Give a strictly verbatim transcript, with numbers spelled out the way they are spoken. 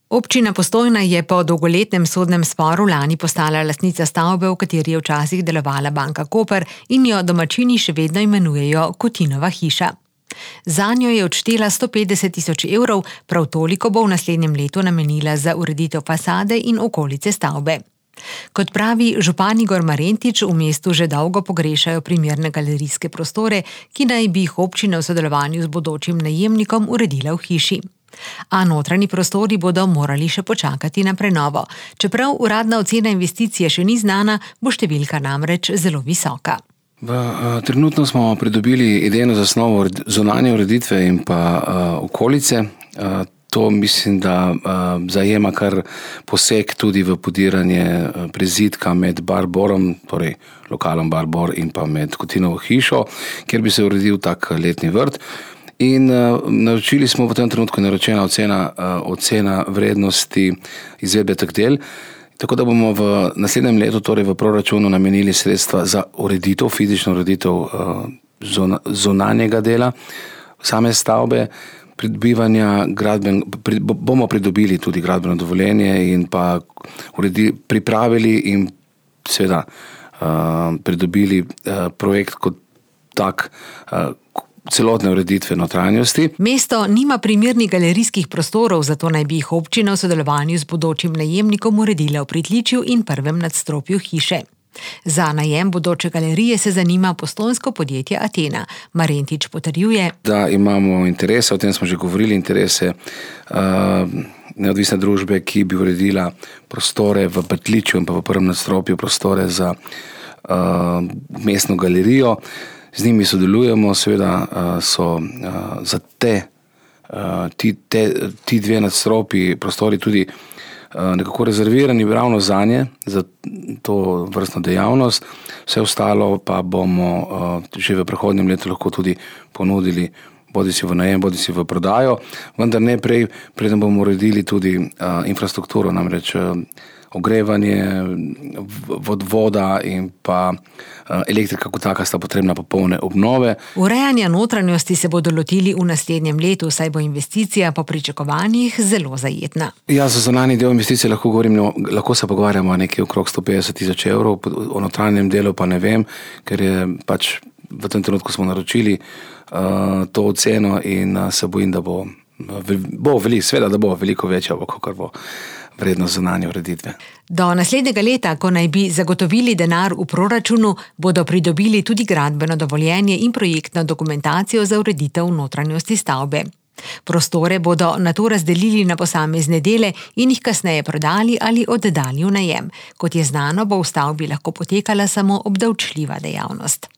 Občina Postojna je po dolgoletnem sodnem sporu lani postala lastnica stavbe, v kateri je včasih delovala Banka Koper in jo domačini še vedno imenujejo Kotinova hiša. Zanjo je odštela sto petdeset tisoč evrov, prav toliko bo v naslednjem letu namenila za ureditev fasade in okolice stavbe. Kot pravi župan Igor Marentič, v mestu že dolgo pogrešajo primerne galerijske prostore, ki naj bi jih občina v sodelovanju z bodočim najemnikom uredila v hiši. A notranji prostori bodo morali še počakati na prenovo. Čeprav uradna ocena investicije še ni znana, bo številka namreč zelo visoka. V, uh, trenutno smo pridobili idejno zasnovo zunanje ureditve in pa uh, okolice. Uh, to mislim, da uh, zajema kar poseg tudi v podiranje uh, prizidka med Barborom, torej lokalom Barbor in pa med Kotinovo hišo, kjer bi se uredil tak letni vrt. In uh, naročili smo v tem trenutku naročena ocena, uh, ocena vrednosti izvedbe teh del, tako da bomo v naslednjem letu, torej v proračunu, namenili sredstva za ureditev, fizično ureditev uh, zona, zunanjega dela same stavbe, pridobivanja gradben, pri, bomo pridobili tudi gradbeno dovoljenje in pa uredi, pripravili in seveda uh, pridobili uh, projekt kot tak, uh, celotne ureditve notranjosti. Mesto nima primernih galerijskih prostorov, zato naj bi jih občina v sodelovanju z bodočim najemnikom uredila v pritličju in prvem nadstropju hiše. Za najem bodoče galerije se zanima postojnsko podjetje Atena. Marentič potrjuje, da imamo interese, o tem smo že govorili, interese uh, neodvisne družbe, ki bi uredila prostore v pritličju in pa v prvem nadstropju prostore za uh, mestno galerijo. Z njimi sodelujemo, seveda so za te, ti, te, ti dve nadstropji prostori tudi nekako rezervirani ravno zanje, za to vrstno dejavnost. Vse ostalo pa bomo že v prihodnjem letu lahko tudi ponudili bodisi v najem, bodisi v prodajo, vendar ne prej, preden bomo uredili tudi infrastrukturo, namreč ogrevanje, voda in pa elektrika kot taka sta potrebna popolne obnove. Urejanja notranjosti se bodo lotili v naslednjem letu, saj bo investicija po pričakovanjih zelo zajetna. Ja, za zunanji del investicije lahko govorim, lahko se pogovarjamo nekaj okrog sto petdeset tisoč evrov, o notranjem delu pa ne vem, ker je pač v tem trenutku smo naročili uh, to oceno in uh, se bojim, da bo, bo veliko, seveda, da bo veliko večja, kot bo vrednost zunanje ureditve. Do naslednjega leta, ko naj bi zagotovili denar v proračunu, bodo pridobili tudi gradbeno dovoljenje in projektno dokumentacijo za ureditev notranjosti stavbe. Prostore bodo nato razdelili na posamezne dele in jih kasneje prodali ali oddali v najem. Kot je znano, bo v stavbi lahko potekala samo obdavčljiva dejavnost.